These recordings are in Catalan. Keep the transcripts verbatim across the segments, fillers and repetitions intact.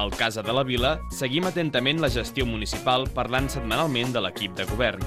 Al Casa de la Vila seguim atentament la gestió municipal parlant setmanalment de l'equip de govern.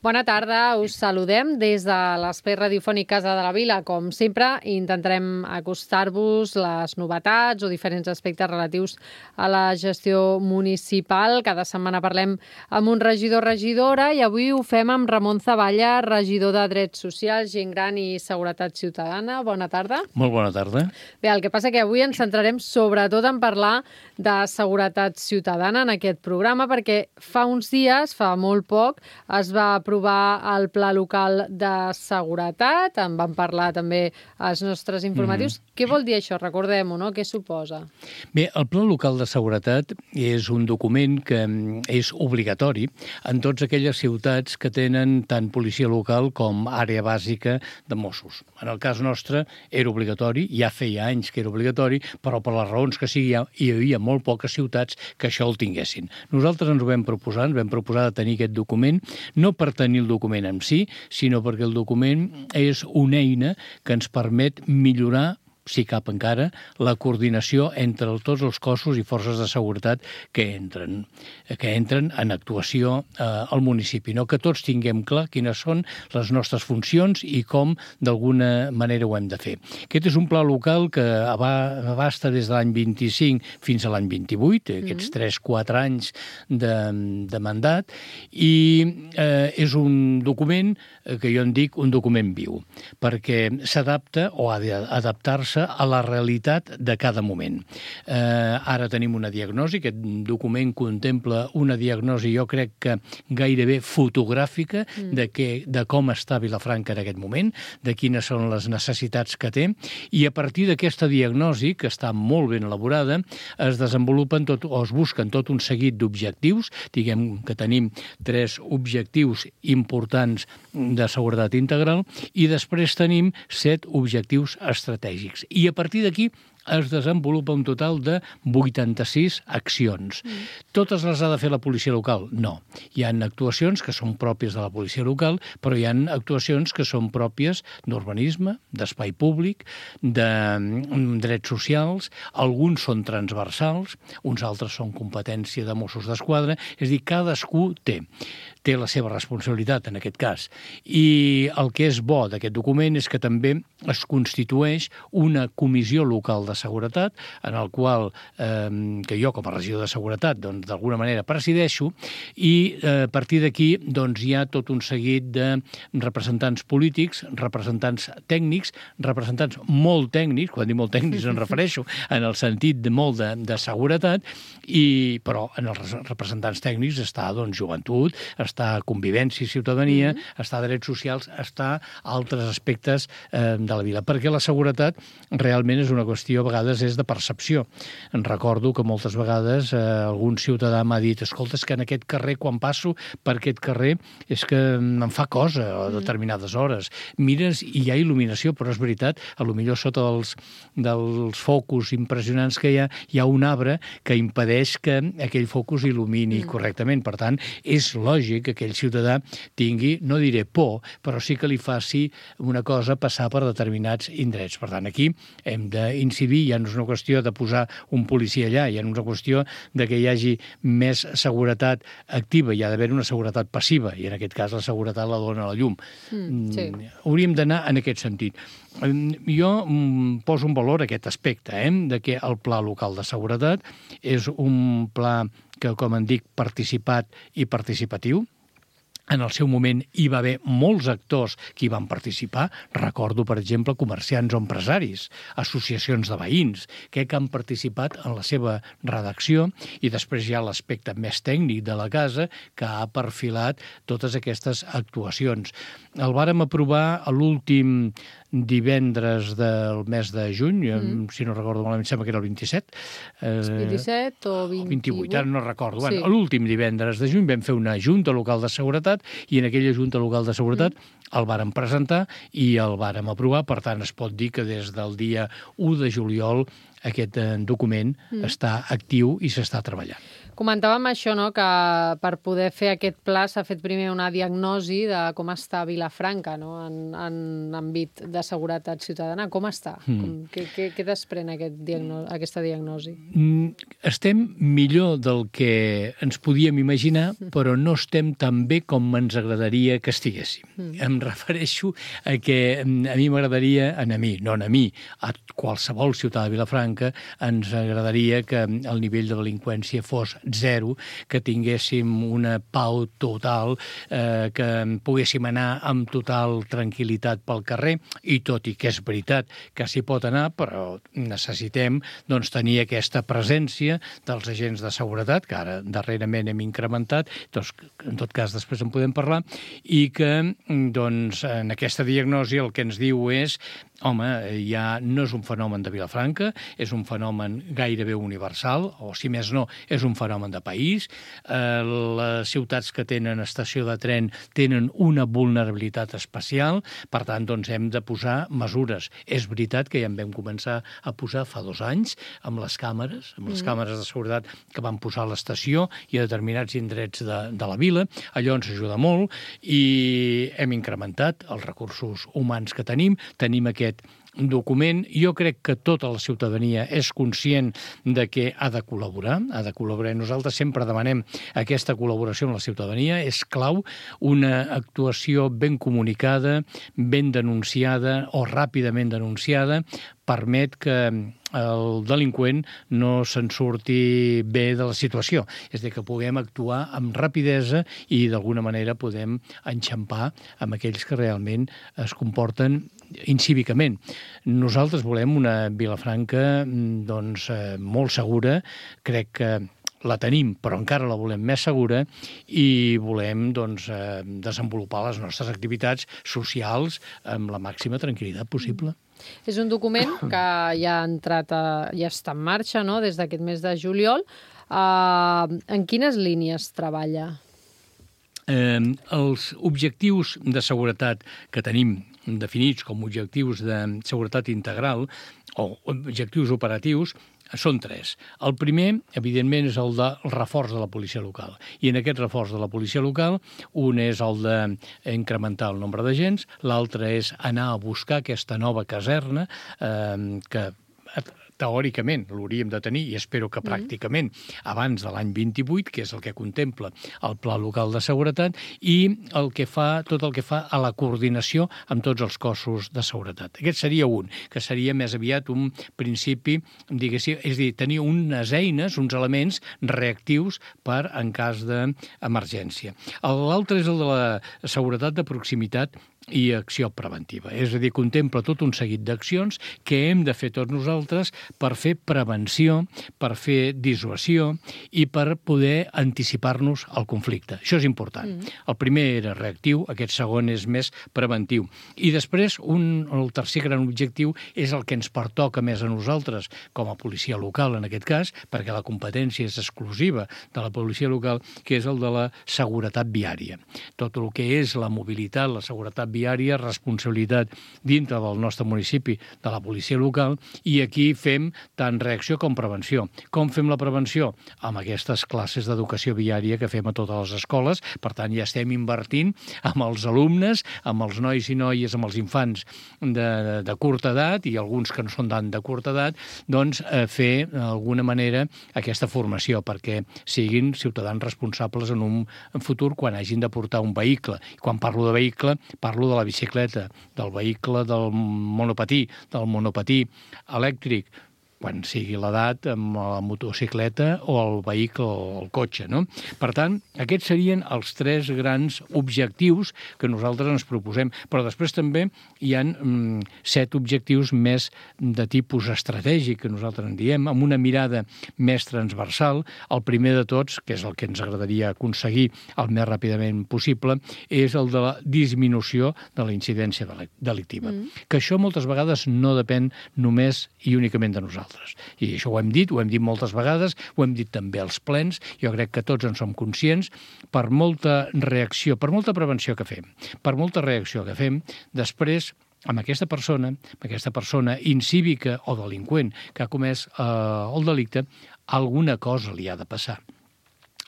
Bona tarda, us saludem des de l'Espai Radiofònic Casa de la Vila. Com sempre, intentarem acostar-vos les novetats o diferents aspectes relatius a la gestió municipal. Cada setmana parlem amb un regidor o regidora i avui ho fem amb Ramon Zavalla, regidor de Drets Socials, Gent Gran i Seguretat Ciutadana. Bona tarda. Molt bona tarda. Bé, el que passa que avui ens centrarem sobretot en parlar de seguretat ciutadana en aquest programa perquè fa uns dies, fa molt poc, es va aprovar el Pla Local de Seguretat, en van parlar també als nostres informatius. Mm. Què vol dir això? Recordem-ho, no? Què suposa? Bé, el Pla Local de Seguretat és un document que és obligatori en totes aquelles ciutats que tenen tant policia local com àrea bàsica de Mossos. En el cas nostre era obligatori, ja feia anys que era obligatori, però per les raons que sigui hi havia molt poques ciutats que això el tinguessin. Nosaltres ens ho vam proposar, ens vam proposar de tenir aquest document, no per tenir el document en si, sinó perquè el document és una eina que ens permet millorar, si cap encara, la coordinació entre tots els cossos i forces de seguretat que entren, que entren en actuació eh, al municipi. No? Que tots tinguem clar quines són les nostres funcions i com d'alguna manera ho hem de fer. Aquest és un pla local que abasta des de l'any vint-i-cinc fins a l'any vint-i-vuit, aquests tres quatre anys de, de mandat, i eh, és un document que jo en dic un document viu, perquè s'adapta o ha d'adaptar-se a la realitat de cada moment. Eh, ara tenim una diagnosi, aquest document contempla una diagnosi, jo crec que gairebé fotogràfica mm. de, que, de com està Vilafranca en aquest moment, de quines són les necessitats que té, i a partir d'aquesta diagnosi, que està molt ben elaborada, es desenvolupen tot, o es busquen tot un seguit d'objectius, diguem que tenim tres objectius importants de seguretat integral, i després tenim set objectius estratègics. I a partir d'aquí es desenvolupa un total de vuitanta-sis accions. Mm. Totes les ha de fer la policia local? No. Hi ha actuacions que són pròpies de la policia local, però hi ha actuacions que són pròpies d'urbanisme, d'espai públic, de drets socials, alguns són transversals, uns altres són competència de Mossos d'Esquadra, és a dir, cadascú té té la seva responsabilitat en aquest cas. I el que és bo d'aquest document és que també es constitueix una comissió local de seguretat, en el qual, eh, que jo com a regidor de seguretat, doncs d'alguna manera presideixo, i eh, a partir d'aquí doncs, hi ha tot un seguit de representants polítics, representants tècnics, representants molt tècnics, quan dic molt tècnics em refereixo en el sentit de molt de, de seguretat, i, però en els representants tècnics està doncs, joventut, està convivència i ciutadania, mm-hmm. està drets socials, està altres aspectes eh, de la vida. Perquè la seguretat realment és una qüestió, a vegades, és de percepció. En recordo que moltes vegades eh, algun ciutadà m'ha dit, escolta, és que en aquest carrer, quan passo per aquest carrer, és que em fa cosa a determinades hores. Mires i hi ha il·luminació, però és veritat, a lo millor sota dels, dels focus impressionants que hi ha, hi ha un arbre que impedeix que aquell focus il·lumini mm. correctament. Per tant, és lògic que aquell ciutadà tingui, no diré por, però sí que li faci una cosa passar per determinats indrets. Per tant, aquí hem d'incidir, ja no és una qüestió de posar un policia allà, ja no és una qüestió de que hi hagi més seguretat activa, hi ha d'haver una seguretat passiva, i en aquest cas la seguretat la dona la llum. Mm, sí. Hauríem d'anar en aquest sentit. Jo poso en valor aquest aspecte, eh, de que el Pla Local de Seguretat és un pla que, com en dic, participat i participatiu. En el seu moment hi va haver molts actors que hi van participar. Recordo, per exemple, comerciants o empresaris, associacions de veïns, que han participat en la seva redacció, i després hi ha l'aspecte més tècnic de la casa que ha perfilat totes aquestes actuacions. El vàrem aprovar a l'últim divendres del mes de juny, mm. si no recordo malament, sembla que era el vint-i-set. Eh, vint-i-set o vint-i-vuit? vint-i-vuit, ara no recordo. Sí. Bueno, l'últim divendres de juny vam fer una junta local de seguretat, i en aquella junta local de seguretat mm. el vàrem presentar i el vàrem aprovar. Per tant, es pot dir que des del dia u de juliol aquest document mm. està actiu i s'està treballant. Comentàvem això, no?, que per poder fer aquest pla s'ha fet primer una diagnosi de com està Vilafranca, no?, en, en àmbit de seguretat ciutadana. Com està? Mm. Com, què, què, què desprèn aquest diagno aquesta diagnosi? Mm, estem millor del que ens podíem imaginar, però no estem tan bé com ens agradaria que estiguéssim. Mm. Em refereixo a que a mi m'agradaria, a mi, no a mi, a qualsevol ciutadà de Vilafranca, ens agradaria que el nivell de delinqüència fos zero, que tinguéssim una pau total, eh, que poguéssim anar amb total tranquil·litat pel carrer, i tot i que és veritat que s'hi pot anar, però necessitem doncs, tenir aquesta presència dels agents de seguretat, que ara darrerament hem incrementat, doncs, en tot cas després en podem parlar, i que doncs, en aquesta diagnosi el que ens diu és home, ja no és un fenomen de Vilafranca, és un fenomen gairebé universal, o si més no, és un fenomen de país. Eh, les ciutats que tenen estació de tren tenen una vulnerabilitat especial, per tant, doncs, hem de posar mesures. És veritat que ja en vam començar a posar fa dos anys amb les càmeres, amb les mm. càmeres de seguretat que van posar a l'estació i a determinats indrets de, de la vila. Allò ens ajuda molt i hem incrementat els recursos humans que tenim. Tenim aquest document. Jo crec que tota la ciutadania és conscient de que ha de col·laborar, ha de col·laborar. Nosaltres sempre demanem aquesta col·laboració amb la ciutadania. És clau una actuació ben comunicada, ben denunciada o ràpidament denunciada, permet que el delinqüent no se'n surti bé de la situació. És a dir, que puguem actuar amb rapidesa i d'alguna manera podem enxampar amb aquells que realment es comporten incívicament. Nosaltres volem una Vilafranca doncs, molt segura, crec que la tenim, però encara la volem més segura i volem doncs, desenvolupar les nostres activitats socials amb la màxima tranquil·litat possible. És un document que ja ha entrat, a, ja està en marxa, no?, des d'aquest mes de juliol. Uh, en quines línies treballa? Eh, els objectius de seguretat que tenim definits com objectius de seguretat integral o objectius operatius són tres. El primer, evidentment, és el del reforç de la policia local. I en aquest reforç de la policia local, un és el d'incrementar el nombre d'agents, l'altre és anar a buscar aquesta nova caserna eh, que teòricament l'hauríem de tenir, i espero que pràcticament abans de l'any vint-i-vuit, que és el que contempla el Pla Local de Seguretat, i el que fa, tot el que fa a la coordinació amb tots els cossos de seguretat. Aquest seria un, que seria més aviat un principi, diguéssim, és a dir, tenir unes eines, uns elements reactius per en cas d'emergència. L'altre és el de la seguretat de proximitat i acció preventiva. És a dir, contempla tot un seguit d'accions que hem de fer tots nosaltres per fer prevenció, per fer dissuasió i per poder anticipar-nos al conflicte. Això és important. Mm. El primer era reactiu, aquest segon és més preventiu. I després, un, el tercer gran objectiu és el que ens pertoca més a nosaltres, com a policia local, en aquest cas, perquè la competència és exclusiva de la policia local, que és el de la seguretat viària. Tot el que és la mobilitat, la seguretat viària, responsabilitat dintre del nostre municipi de la policia local, i aquí fem tant reacció com prevenció. Com fem la prevenció? Amb aquestes classes d'educació viària que fem a totes les escoles. Per tant, ja estem invertint amb els alumnes, amb els nois i noies, amb els infants de, de curta edat i alguns que no són tant de curta edat, doncs eh, fer d'alguna manera aquesta formació perquè siguin ciutadans responsables en un futur quan hagin de portar un vehicle. I quan parlo de vehicle, parlo de la bicicleta, del vehicle del monopatí, del monopatí elèctric, quan sigui l'edat, amb la motocicleta o el vehicle o el cotxe, no? Per tant, aquests serien els tres grans objectius que nosaltres ens proposem. Però després també hi ha mm, set objectius més de tipus estratègic, que nosaltres en diem, amb una mirada més transversal. El primer de tots, que és el que ens agradaria aconseguir el més ràpidament possible, és el de la disminució de la incidència delictiva. Mm. Que això moltes vegades no depèn només i únicament de nosaltres. I això ho hem dit, ho hem dit moltes vegades, ho hem dit també als plens, jo crec que tots en som conscients, per molta reacció, per molta prevenció que fem, per molta reacció que fem, després amb aquesta persona, amb aquesta persona incívica o delinqüent que ha comès eh, el delicte, alguna cosa li ha de passar.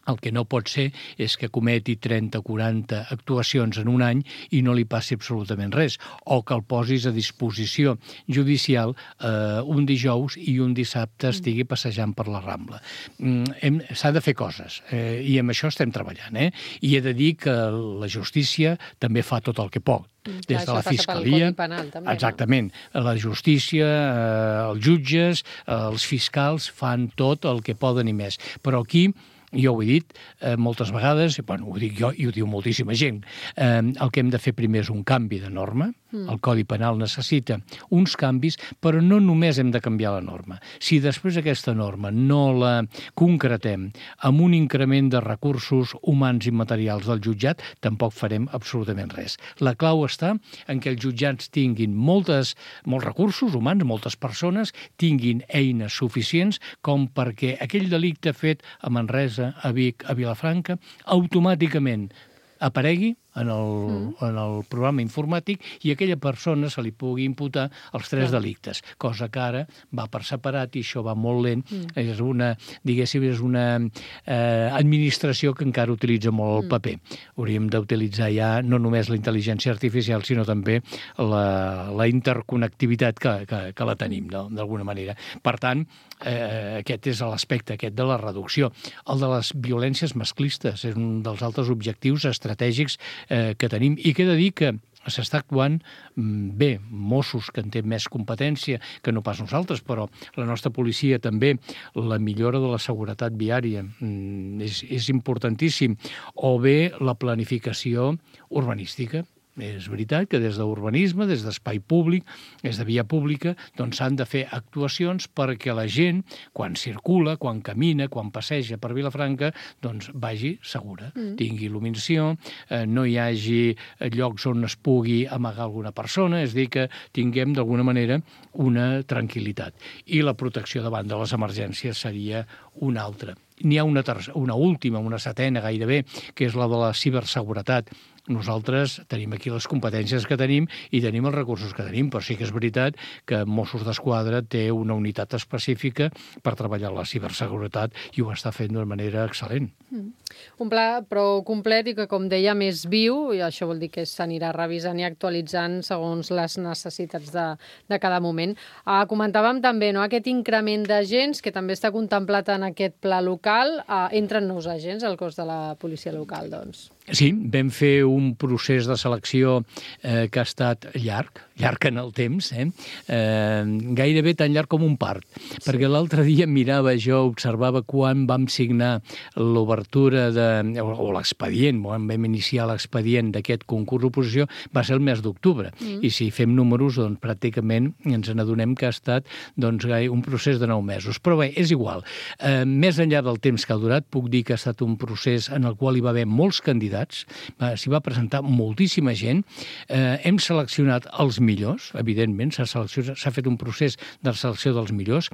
El que no pot ser és que cometi trenta o quaranta actuacions en un any i no li passi absolutament res, o que el posis a disposició judicial eh, un dijous i un dissabte estigui passejant per la Rambla. Mm, S'ha de fer coses, eh, i amb això estem treballant. Eh? I he de dir que la justícia també fa tot el que pot. Des de la Fiscalia, exactament, la justícia, eh, els jutges, eh, els fiscals fan tot el que poden i més. Però aquí, jo ho he dit eh, moltes vegades, bueno, ho dic jo i ho diu moltíssima gent, eh, el que hem de fer primer és un canvi de norma. Mm. El Codi Penal necessita uns canvis, però no només hem de canviar la norma. Si després aquesta norma no la concretem amb un increment de recursos humans i materials del jutjat, tampoc farem absolutament res. La clau està en què els jutjats tinguin moltes, molts recursos humans, moltes persones, tinguin eines suficients com perquè aquell delicte fet a Manresa, a Vic, a Vilafranca, automàticament aparegui en el, mm. en el programa informàtic i a aquella persona se li pugui imputar els tres Clar. delictes, cosa que ara va per separat i això va molt lent. Mm. És una, diguéssim, és una eh, administració que encara utilitza molt el mm. paper. Hauríem d'utilitzar ja no només la intel·ligència artificial, sinó també la, la interconnectivitat que, que, que la tenim, no? D'alguna manera. Per tant, eh, aquest és l'aspecte aquest de la reducció. El de les violències masclistes és un dels altres objectius estratègics eh, que tenim i que he de dir que s'està actuant bé. Mossos, que en té més competència que no pas nosaltres, però la nostra policia també, la millora de la seguretat viària és, és importantíssim, o bé la planificació urbanística. És veritat que des d'urbanisme, des d'espai públic, des de via pública, doncs s'han de fer actuacions perquè la gent, quan circula, quan camina, quan passeja per Vilafranca, doncs vagi segura, mm. tingui il·luminació, eh, no hi hagi llocs on es pugui amagar alguna persona, és a dir, que tinguem d'alguna manera una tranquil·litat. I la protecció davant de les emergències seria una altra. N'hi ha una, tercera, una última, una setena gairebé, que és la de la ciberseguretat. Nosaltres tenim aquí les competències que tenim i tenim els recursos que tenim, però sí que és veritat que Mossos d'Esquadra té una unitat específica per treballar la ciberseguretat i ho està fent d'una manera excel·lent. Mm. Un pla prou complet i que, com deia, més viu, i això vol dir que s'anirà revisant i actualitzant segons les necessitats de, de cada moment. Ah, comentàvem també, no, aquest increment d'agents que també està contemplat en aquest pla local. Ah, entren nous agents al cos de la policia local, doncs. Sí, vam fer un procés de selecció eh, que ha estat llarg, llarg en el temps, eh? Eh, gairebé tan llarg com un part, sí. Perquè l'altre dia mirava jo, observava quan vam signar l'obertura de, o, o l'expedient, quan vam iniciar l'expedient d'aquest concurs d'oposició, va ser el mes d'octubre, mm. i si fem números, doncs pràcticament ens n'adonem que ha estat doncs, un procés de nou mesos. Però bé, és igual. Eh, més enllà del temps que ha durat, puc dir que ha estat un procés en el qual hi va haver molts candidats. S'hi va presentar moltíssima gent. Eh, hem seleccionat els millors, evidentment, s'ha s'ha fet un procés de selecció dels millors.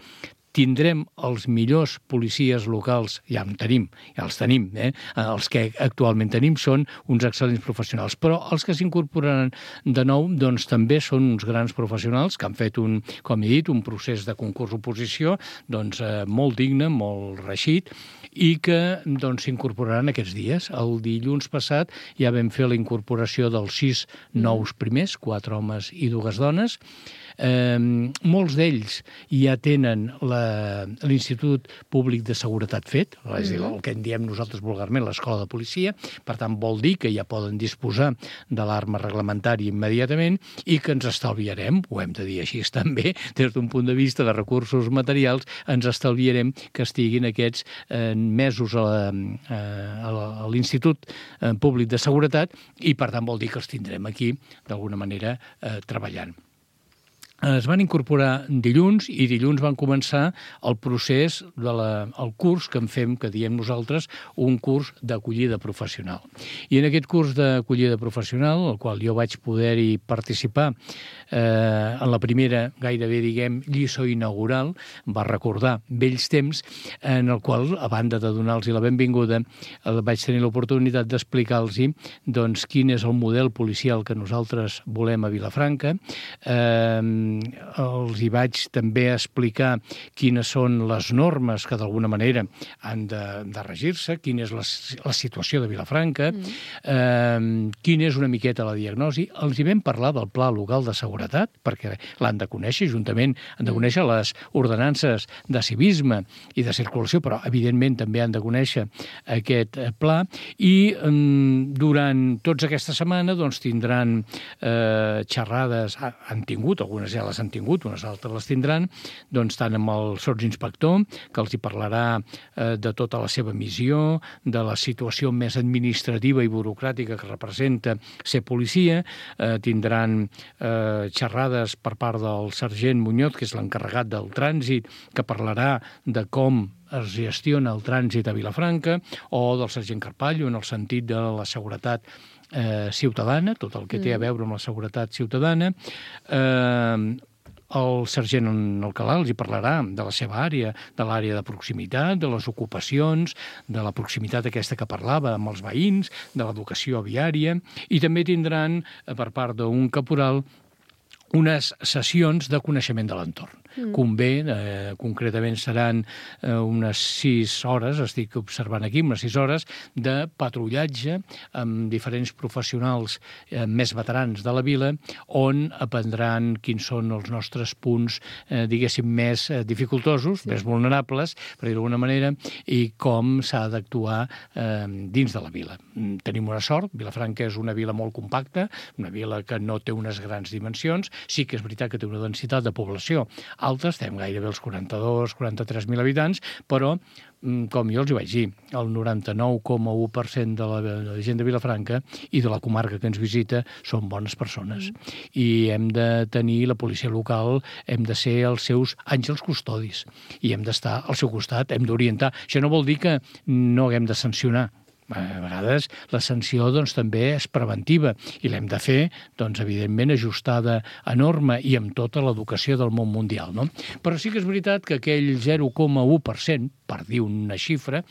Tindrem els millors policies locals, ja en tenim, ja els tenim, eh? Els que actualment tenim són uns excel·lents professionals, però els que s'incorporaran de nou doncs també són uns grans professionals que han fet un, com he dit, un procés de concurs-oposició doncs, eh, molt digne, molt reeixit, i que doncs, s'incorporaran aquests dies. El dilluns passat ja vam fer la incorporació dels sis nous primers, quatre homes i dues dones. Eh, molts d'ells ja tenen l'Institut Públic de Seguretat fet, és a dir, el que en diem nosaltres vulgarment l'escola de policia, per tant vol dir que ja poden disposar de l'arma reglamentària immediatament i que ens estalviarem, ho hem de dir així també, des d'un punt de vista de recursos materials, ens estalviarem que estiguin aquests eh, mesos a, a, a l'Institut Públic de Seguretat i per tant vol dir que els tindrem aquí d'alguna manera eh, treballant. Es van incorporar dilluns i dilluns van començar el procés del de curs que en fem, que diem nosaltres, un curs d'acollida professional. I en aquest curs d'acollida professional, al qual jo vaig poder-hi participar eh, en la primera, gairebé, diguem, lliçó inaugural, va recordar vells temps, en el qual, a banda de donar-los la benvinguda, vaig tenir l'oportunitat d'explicar-los doncs, quin és el model policial que nosaltres volem a Vilafranca, eh, els hi vaig també explicar quines són les normes que d'alguna manera han de, de regir-se, quina és la, la situació de Vilafranca, mm. eh, quina és una miqueta la diagnosi. Els hi vam parlar del Pla Local de Seguretat, perquè l'han de conèixer, juntament han de conèixer les ordenances de civisme i de circulació, però evidentment també han de conèixer aquest pla, i eh, durant tota aquesta setmana doncs, tindran eh, xerrades, han tingut, algunes ja les han tingut, unes altres les tindran, doncs tant amb el sotsinspector, que els hi parlarà eh, de tota la seva missió, de la situació més administrativa i burocràtica que representa ser policia, eh, tindran eh, xerrades per part del sergent Muñoz, que és l'encarregat del trànsit, que parlarà de com es gestiona el trànsit a Vilafranca, o del sergent Carpallo, en el sentit de la seguretat eh, ciutadana, tot el que té a veure amb la seguretat ciutadana. Eh, el sergent Alcalà els hi parlarà de la seva àrea, de l'àrea de proximitat, de les ocupacions, de la proximitat aquesta que parlava amb els veïns, de l'educació viària, i també tindran, per part d'un caporal, unes sessions de coneixement de l'entorn. Mm. Convé, eh, concretament seran eh, unes sis hores, estic observant aquí, unes sis hores de patrullatge amb diferents professionals eh, més veterans de la vila, on aprendran quins són els nostres punts, eh, diguéssim, més eh, dificultosos, sí. més vulnerables, per dir-ho d'alguna manera, i com s'ha d'actuar eh, dins de la vila. Tenim una sort, Vilafranca és una vila molt compacta, una vila que no té unes grans dimensions, sí que és veritat que té una densitat de població alta, estem gairebé als quaranta-dos quaranta-tres mil habitants, però, com jo els hi vaig dir, el noranta-nou coma u per cent de la, de la gent de Vilafranca i de la comarca que ens visita són bones persones. Mm. I hem de tenir la policia local, hem de ser els seus àngels custodis i hem d'estar al seu costat, hem d'orientar. Això no vol dir que no haguem de sancionar. A vegades la sanció doncs, també és preventiva i l'hem de fer, doncs, evidentment, ajustada a norma i amb tota l'educació del món mundial. No? Però sí que és veritat que aquell zero coma u per cent, per dir una xifra,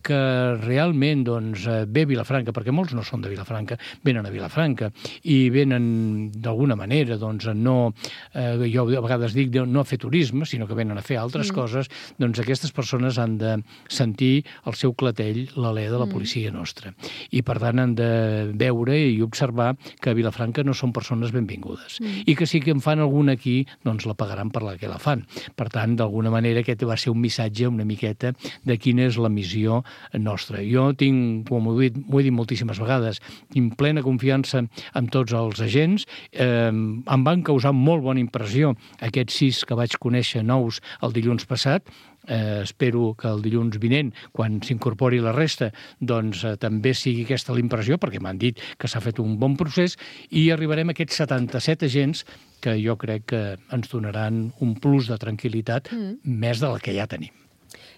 que realment doncs, ve a Vilafranca, perquè molts no són de Vilafranca, venen a Vilafranca i venen d'alguna manera, doncs, no, eh, jo a vegades dic no a fer turisme, sinó que venen a fer altres mm. coses, doncs aquestes persones han de sentir el seu clatell, l'alè de la policia nostra. I, per tant, han de veure i observar que a Vilafranca no són persones benvingudes. Mm. I que sí que en fan alguna aquí, doncs la pagaran per la que la fan. Per tant, d'alguna manera, aquest va ser un missatge una miqueta de quina és la missió nostra. Jo tinc, com ho he dit, ho he dit moltíssimes vegades, tinc plena confiança en tots els agents. Eh, em van causar molt bona impressió aquests sis que vaig conèixer nous el dilluns passat. Eh, espero que el dilluns vinent, quan s'incorpori la resta, doncs eh, també sigui aquesta la impressió, perquè m'han dit que s'ha fet un bon procés, i arribarem a aquests setanta-set agents que jo crec que ens donaran un plus de tranquil·litat mm. més de la que ja tenim.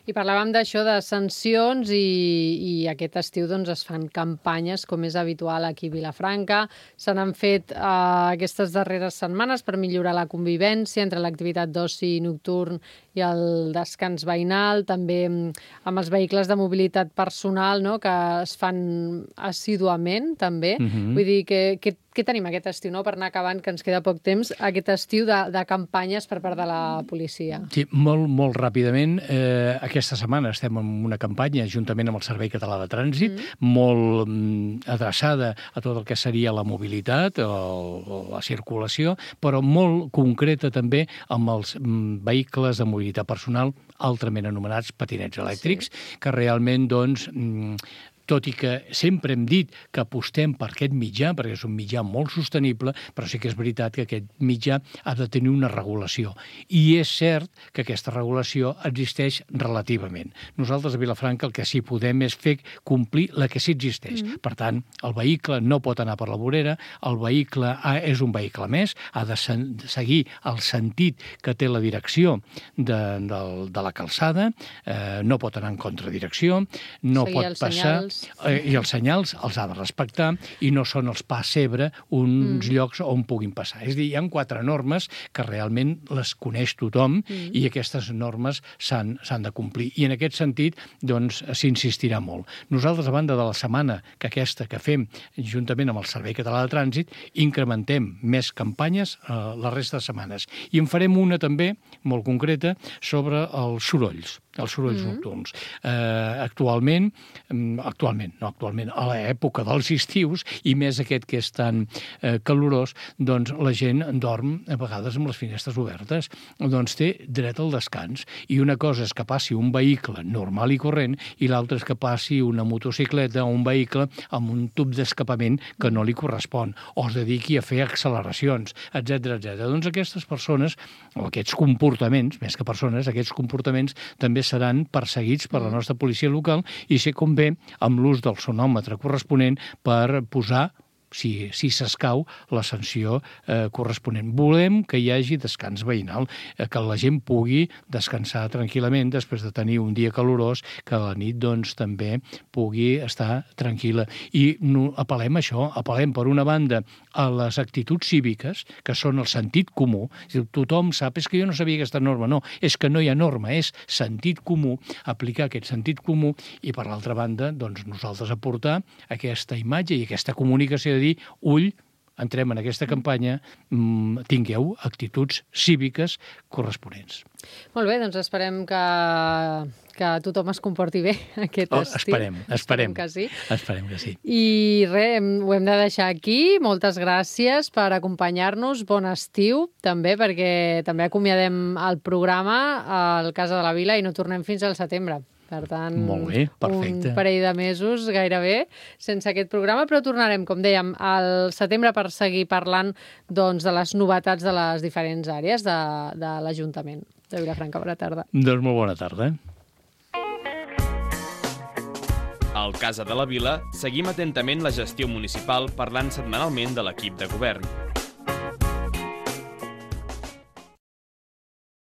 I parlàvem d'això, de sancions, i, i aquest estiu doncs, es fan campanyes, com és habitual aquí a Vilafranca. Se n'han fet eh, aquestes darreres setmanes per millorar la convivència entre l'activitat d'oci nocturn i el descans veïnal, també amb els vehicles de mobilitat personal, no?, que es fan assíduament, també. Mm-hmm. Vull dir, que, que què tenim aquest estiu, no?, per anar acabant, que ens queda poc temps, aquest estiu de, de campanyes per part de la policia? Sí, molt, molt ràpidament. Eh, aquesta setmana estem en una campanya, juntament amb el Servei Català de Trànsit, mm. molt mm, adreçada a tot el que seria la mobilitat, o la circulació, però molt concreta també amb els mm, vehicles de mobilitat personal, altrament anomenats patinets elèctrics, sí. que realment, doncs, mm, tot i que sempre hem dit que apostem per aquest mitjà, perquè és un mitjà molt sostenible, però sí que és veritat que aquest mitjà ha de tenir una regulació. I és cert que aquesta regulació existeix relativament. Nosaltres a Vilafranca el que sí podem és fer complir la que sí existeix. Mm-hmm. Per tant, el vehicle no pot anar per la vorera, el vehicle és un vehicle més, ha de seguir el sentit que té la direcció de, de, de la calçada, eh, no pot anar en contradirecció, no seguir pot passar... Senyals. Eh, I els senyals els ha de respectar i no són els passebre uns mm. llocs on puguin passar. És a dir, hi ha quatre normes que realment les coneix tothom mm. i aquestes normes s'han de complir. I en aquest sentit, doncs, s'insistirà molt. Nosaltres, a banda de la setmana que aquesta que fem juntament amb el Servei Català de Trànsit, incrementem més campanyes eh, la resta de setmanes. I en farem una també, molt concreta, sobre els sorolls, els sorolls mm. nocturns. Eh, actualment, actualment, no actualment, a l'època dels estius, i més aquest que és tan eh, calorós, doncs la gent dorm a vegades amb les finestres obertes, doncs té dret al descans. I una cosa és que passi un vehicle normal i corrent i l'altra és que passi una motocicleta o un vehicle amb un tub d'escapament que no li correspon, o es dediqui a fer acceleracions, etcètera, etcètera. Doncs aquestes persones, o aquests comportaments, més que persones, aquests comportaments també seran perseguits per la nostra policia local i ser com bé amb l'ús del sonòmetre corresponent per posar, si, si s'escau, la sanció eh, corresponent. Volem que hi hagi descans veïnal, eh, que la gent pugui descansar tranquil·lament després de tenir un dia calorós, que a la nit doncs, també pugui estar tranquil·la. I no, apel·lem a això, apel·lem per una banda a les actituds cíviques, que són el sentit comú. Tothom sap, és que jo no sabia aquesta norma. No, és que no hi ha norma, és sentit comú, aplicar aquest sentit comú i, per l'altra banda, doncs, nosaltres aportar aquesta imatge i aquesta comunicació de dir, ull, entrem en aquesta campanya, mmm, tingueu actituds cíviques corresponents. Molt bé, doncs esperem que, que tothom es comporti bé aquest oh, estiu. Esperem, esperem. Esperem que sí. Esperem que sí. I res, ho hem de deixar aquí. Moltes gràcies per acompanyar-nos. Bon estiu, també, perquè també acomiadem el programa al Casa de la Vila i no tornem fins al setembre. Per tant, molt bé, perfecte. Un parell de mesos gairebé sense aquest programa, però tornarem, com dèiem, al setembre per seguir parlant doncs, de les novetats de les diferents àrees de, de l'Ajuntament de Vilafranca. Bona tarda. Doncs molt bona tarda. Al Casa de la Vila seguim atentament la gestió municipal parlant setmanalment de l'equip de govern.